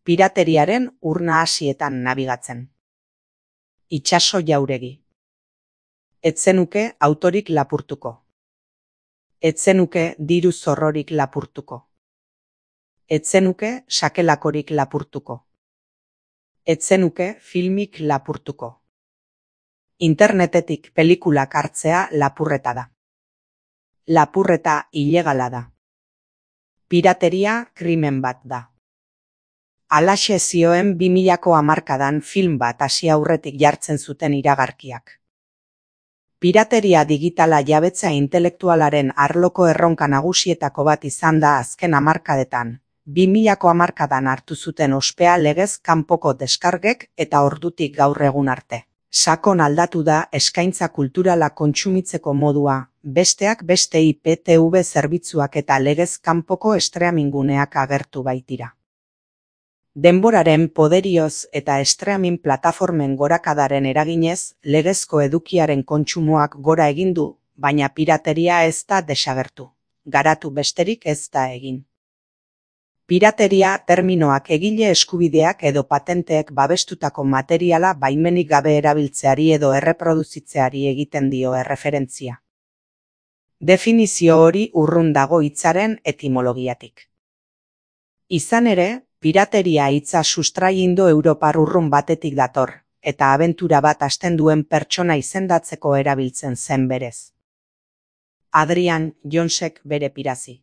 Pirateriaren ur nahasietan nabigatzen. Itsaso jauregi. Ez zenuke autorik lapurtuko. Ez zenuke diru zorrorik lapurtuko. Ez zenuke sakelakorik lapurtuko. Ez zenuke filmik lapurtuko. Internetetik pelikulak hartzea lapurreta da. Lapurreta ilegala da. Pirateria krimen bat da. Halaxe zioen 2000ko hamarkadan film bat hasi aurretik jartzen zuten iragarkiak. Pirateria digitala jabetza intelektualaren arloko erronka nagusietako bat izan da azken hamarkadetan. 2000ko hamarkadan hartu zuten ospea legez kanpoko deskargek eta ordutik gaur egun arte. Sakon aldatu da eskaintza kulturala kontsumitzeko modua, besteak beste IPTV zerbitzuak eta legez kanpoko streaminguneak agertu baitira. Denboraren poderioz eta streaming plataformen gorakadaren eraginez, legezko edukiaren kontsumoak gora egin du, baina pirateria ez da desagertu. Garatu besterik ez da egin. Pirateria terminoak egile eskubideak edo patenteek babestutako materiala baimenik gabe erabiltzeari edo erreproduzitzeari egiten dio erreferentzia. Definizio hori urrun dago hitzaren etimologiatik. Izan ere, pirateria hitza sustrai indo-europar urrun batetik dator, eta abentura bat hasten duen pertsona izendatzeko erabiltzen zen berez. Adrian Jonesek bere pirazi.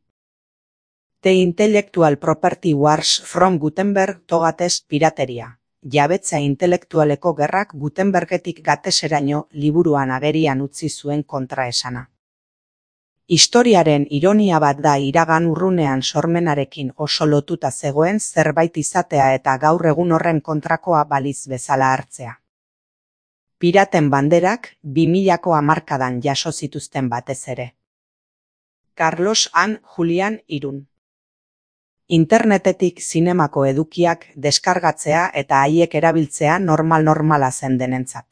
The Intellectual Property Wars from Gutenberg to Gates Pirateria. Jabetza intelektualeko gerrak Gutenbergetik Gateseraino liburuan agerian utzi zuen kontraesana. Historiaren ironia bat da iragan urrunean sormenarekin oso lotuta zegoen zerbait izatea eta gaur egun horren kontrakoa baliz bezala hartzea. Piraten banderak 2000ko hamarkadan jaso zituzten batez ere. Carlos and Julian Irun. Internetetik zinemako edukiak deskargatzea eta haiek erabiltzea normala zen denentzat.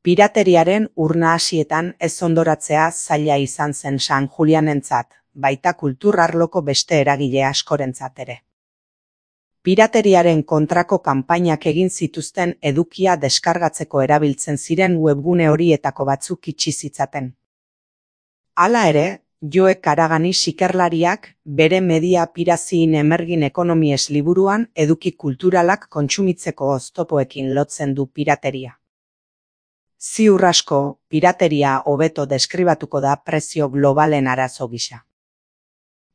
Pirateriaren ur nahasietan ez ondoratzea zaila izan zen San Julianentzat, baita kultur arloko beste eragile askorentzat ere. Pirateriaren kontrako kanpainak egin zituzten edukia deskargatzeko erabiltzen ziren webgune horietako batzuk itxi zitzaten. Hala ere, Joe Karagani sikerlariak bere Media Piracy in Emerging Economies liburuan eduki kulturalak kontsumitzeko oztopoekin lotzen du pirateria. Ziur asko, pirateria hobeto deskribatuko da prezio globalen arazo gisa.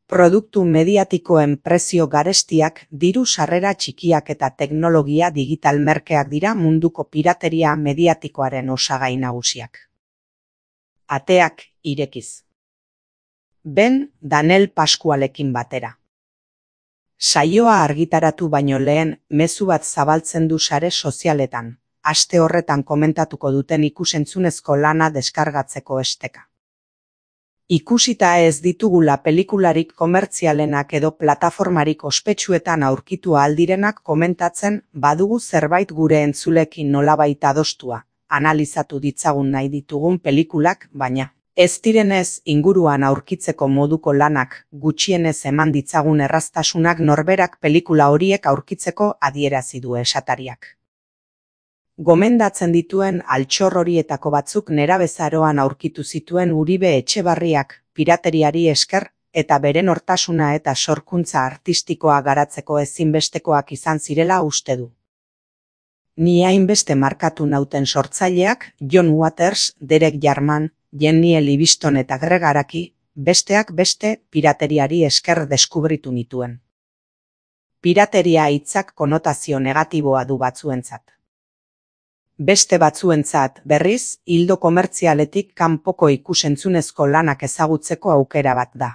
Produktu mediatikoen prezio garestiak, diru sarrera txikiak eta teknologia digital merkeak dira munduko pirateria mediatikoaren osagai nagusiak. Ateak irekiz. Ben Daniel Pascualekin batera. Saioa argitaratu baino lehen mezu bat zabaltzen du sare sozialetan. Aste horretan komentatuko duten ikusentzunezko lana deskargatzeko esteka. Ikusita ez ditugula pelikularik komertzialenak edo plataformarik ospetsuetan aurkitu aldirenak komentatzen badugu zerbait gure entzulekin nolabait adostua, analizatu ditzagun nahi ditugun pelikulak, baina ez direnez inguruan aurkitzeko moduko lanak gutxienez eman ditzagun erraztasunak norberak pelikula horiek aurkitzeko adierazi du esatariak. Gomendatzen dituen altxor horietako batzuk nerabezaroan aurkitu zituen Uribe Etxebarriak pirateriari esker eta bere nortasuna eta sorkuntza artistikoa garatzeko ezinbestekoak izan zirela uste du. Ni hainbeste markatu nauten sortzaileak John Waters, Derek Jarman, Jenny Livingston eta Greg Araki, besteak beste pirateriari esker deskubritu nituen. Pirateria hitzak konotazio negatiboa du batzuentzat. Beste batzuentzat, berriz, ildo komertzialetik kanpoko ikusentzunezko lanak ezagutzeko aukera bat da.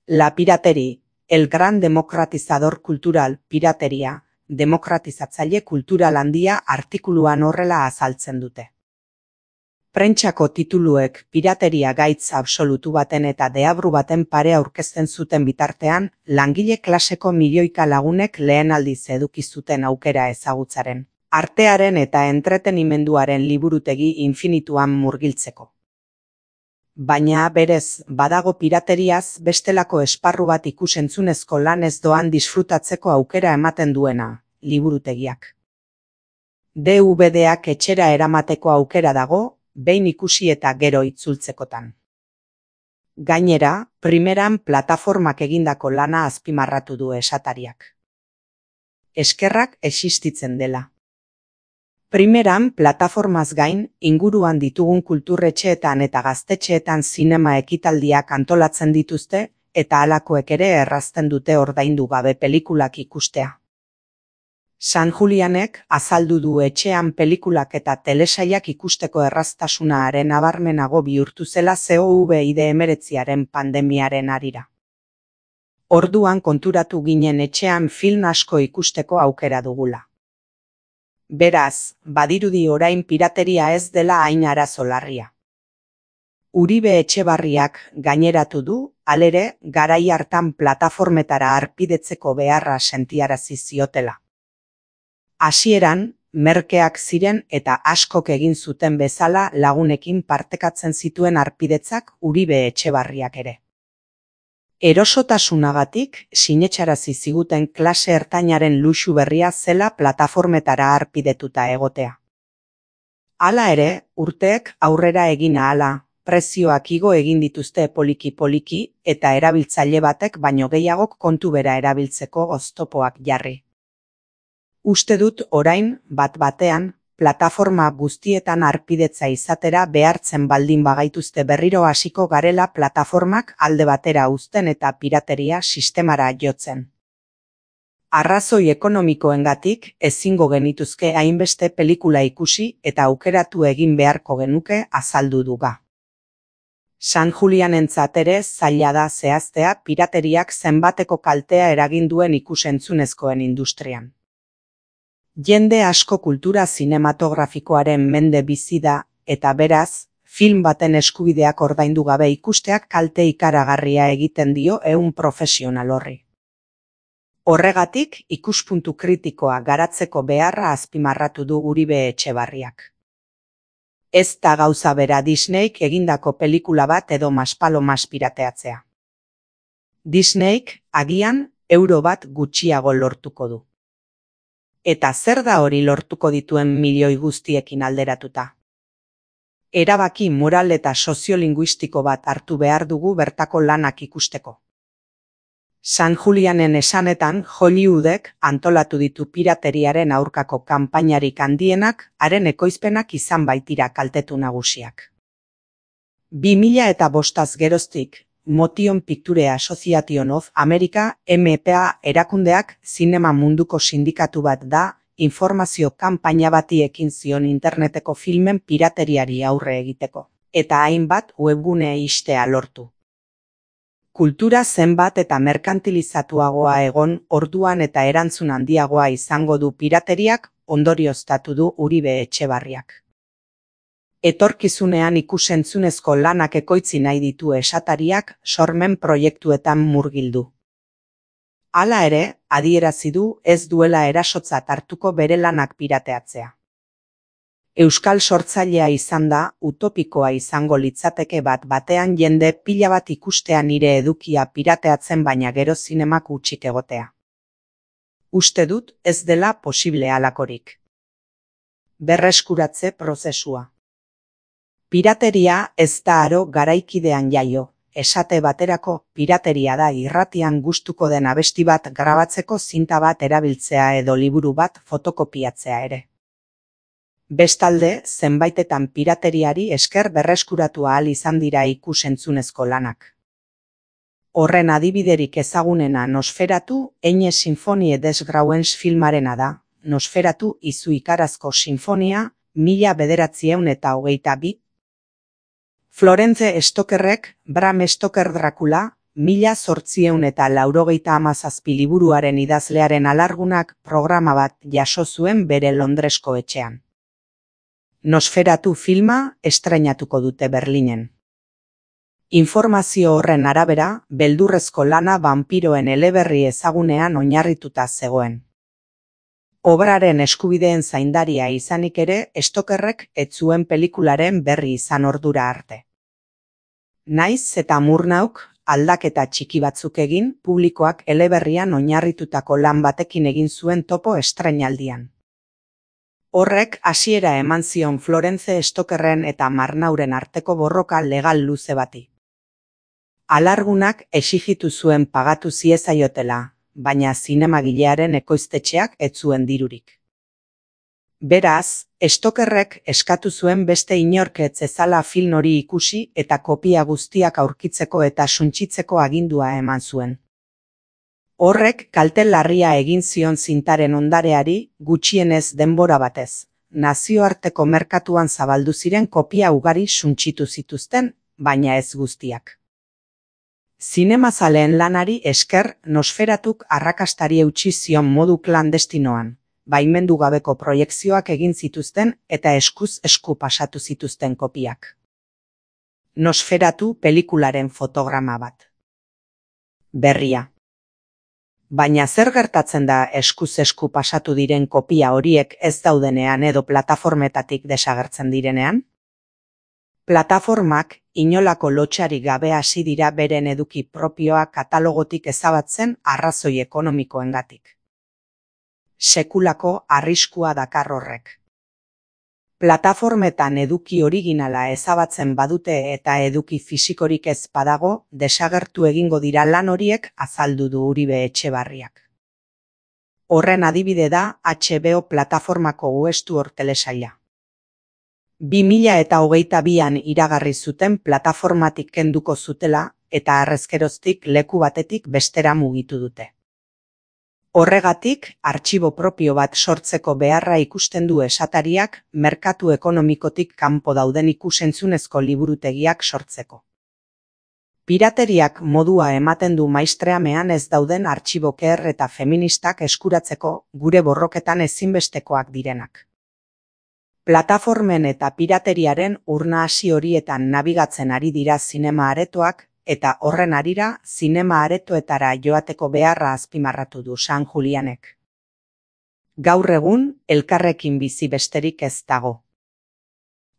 La pirateria, el gran democratizador cultural, pirateria, demokratizatzaile kultural handia artikuluan horrela azaltzen dute. Prentsako tituluek pirateria gaitz absolutu baten eta deabru baten pare aurkezten zuten bitartean, langile klaseko milioika lagunek lehen aldiz eduki zuten aukera ezagutzaren. Artearen eta entretenimenduaren liburutegi infinituan murgiltzeko. baina berez badago pirateriaz bestelako esparru bat ikusentzunezko lan ez doan disfrutatzeko aukera ematen duena, liburutegiak. DVD-ak etxera eramateko aukera dago, behin ikusi eta gero itzultzekotan. Gainera, primeran plataformak egindako lana azpimarratu du esatariak. Eskerrak existitzen dela. Primeran plataformaz gain, inguruan ditugun kulturretxeetan eta gaztetxeetan zinema ekitaldiak antolatzen dituzte, eta halakoek ere errazten dute ordaindu gabe pelikulak ikustea. San Julianek azaldu du etxean pelikulak eta telesailak ikusteko erraztasuna nabarmenago bihurtu zela COVID-19 pandemiaren harira. Orduan konturatu ginen etxean film asko ikusteko aukera dugula. Beraz, badirudi orain pirateria ez dela hain arazo larria. Uribe Etxebarriak gaineratu du, halere, garai hartan plataformetara harpidetzeko beharra sentiarazi ziotela. Hasieran, merkeak ziren eta askok egin zuten bezala lagunekin partekatzen zituen harpidetzak Uribe Etxebarriak ere. Erosotasunagatik sinetsarazi ziguten klase ertainaren luxu berria zela plataformetara harpidetuta egotea. Hala ere, urteek aurrera egin ahala, prezioak igo egin dituzte poliki-poliki eta erabiltzaile batek baino gehiagok kontu bera erabiltzeko oztopoak jarri. Uste dut orain, bat-batean, plataforma guztietan harpidetza izatera behartzen baldin bagaituzte berriro hasiko garela plataformak alde batera uzten eta pirateria sistemara jotzen. Arrazoi ekonomikoengatik ezingo genituzke hainbeste pelikula ikusi eta aukeratu egin beharko genuke azaldu duga. San Julianentzat ere zaila da zehaztea pirateriak zenbateko kaltea eragin duen ikusentzunezkoen industrian. Jende asko kultura zinematografikoaren mende bizi da, eta beraz, film baten eskubideak ordaindu gabe ikusteak kalte ikaragarria egiten dio ehun profesional horri. Horregatik, ikuspuntu kritikoa garatzeko beharra azpimarratu du Uribe Etxebarriak. Ez da gauza bera Disneyk egindako pelikula bat edo maspalomas pirateatzea. Disneyk, agian, euro bat gutxiago lortuko du. Eta zer da hori lortuko dituen milioi guztiekin alderatuta? Erabaki moral eta soziolinguistiko bat hartu behar dugu bertako lanak ikusteko. San Julianen esanetan Hollywoodek antolatu ditu pirateriaren aurkako kanpainarik handienak haren ekoizpenak izan baitira kaltetu nagusiak. 2005 geroztik, Motion Picture Association of America MPA erakundeak zinema munduko sindikatu bat da, informazio kanpaina bati ekin zion interneteko filmen pirateriari aurre egiteko, eta hainbat webgune ixtea lortu. Kultura zenbat eta merkantilizatuagoa egon orduan eta erantzun handiagoa izango du pirateriak ondorioztatu du Uribe Etxebarriak. Etorkizunean ikusentzunezko lanak ekoitzi nahi ditu esatariak sormen proiektuetan murgildu. Hala ere, adierazi du ez duela erasotzat hartuko bere lanak pirateatzea. Euskal sortzailea izan da, utopikoa izango litzateke bat-batean jende pila bat ikustea nire edukia pirateatzen baina gero zinemak hutsik egotea. Uste dut ez dela posible halakorik. Berreskuratze prozesua. Pirateria ez da aro garaikidean jaio, esate baterako pirateria da irratian gustuko den abesti bat grabatzeko zinta bat erabiltzea edo liburu bat fotokopiatzea ere. Bestalde, zenbaitetan pirateriari esker berreskuratu ahal izan dira ikusentzunezko lanak. Horren adibiderik ezagunena Nosferatu, Eine Sinfonie des Grauens filmarena da, Nosferatu izu ikarazko sinfonia, 1922. Florence Stokerrek, Bram Stoker Dracula, 1897 liburuaren idazlearen alargunak programa bat jaso zuen bere Londresko etxean. Nosferatu filma estreinatuko dute Berlinen. Informazio horren arabera, beldurrezko lana banpiroen eleberri ezagunean oinarrituta zegoen. Obraren eskubideen zaindaria izanik ere, Stokerrek ez zuen pelikularen berri izan ordura arte. Naiz eta Murnauk aldaketa txiki batzuk egin, publikoak eleberrian oinarritutako lan batekin egin zuen topo estreinaldian. Horrek hasiera eman zion Florence Stokerren eta Marnauren arteko borroka legal luze bati. Alargunak exijitu zuen pagatu ziezaiotela, baina zinemagilearen ekoiztetxeak ez zuen dirurik. Beraz, Stokerrek eskatu zuen beste inork ez zezala film hori ikusi eta kopia guztiak aurkitzeko eta suntsitzeko agindua eman zuen. Horrek kalte larria egin zion zintaren ondareari gutxienez denbora batez. Nazioarteko merkatuan zabaldu ziren kopia ugari suntsitu zituzten, baina ez guztiak. Zinemazaleen lanari esker Nosferatuk arrakastari eutsi zion modu klandestinoan. Baimendu gabeko proiekzioak egin zituzten eta eskuz esku pasatu zituzten kopiak. Nosferatu pelikularen fotograma bat. Berria. Baina zer gertatzen da eskuz esku pasatu diren kopia horiek ez daudenean edo plataformetatik desagertzen direnean? Plataformak inolako lotsarik gabe hasi dira beren eduki propioa katalogotik ezabatzen arrazoi ekonomikoengatik. Sekulako arriskua dakar horrek. Plataformetan eduki originala ezabatzen badute eta eduki fisikorik ez badago, desagertu egingo dira lan horiek, azaldu du Uribe Etxebarriak. Horren adibide da HBO plataformako Westworld telesaila. 2022an iragarri zuten plataformatik kenduko zutela eta harrezkeroztik leku batetik bestera mugitu dute. Horregatik, artxibo propio bat sortzeko beharra ikusten du esatariak merkatu ekonomikotik kanpo dauden ikusentzunezko liburutegiak sortzeko. Pirateriak modua ematen du maistreamean ez dauden artxiboker eta feministak eskuratzeko gure borroketan ezinbestekoak direnak. Plataformen eta pirateriaren urnahasi horietan nabigatzen ari dira zinema aretoak, eta horren harira zinema aretoetara joateko beharra azpimarratu du San Julianek. Gaur egun, elkarrekin bizi besterik ez dago.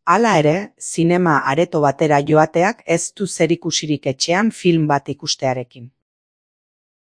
Hala ere, zinema areto batera joateak ez du zerikusirik etxean film bat ikustearekin.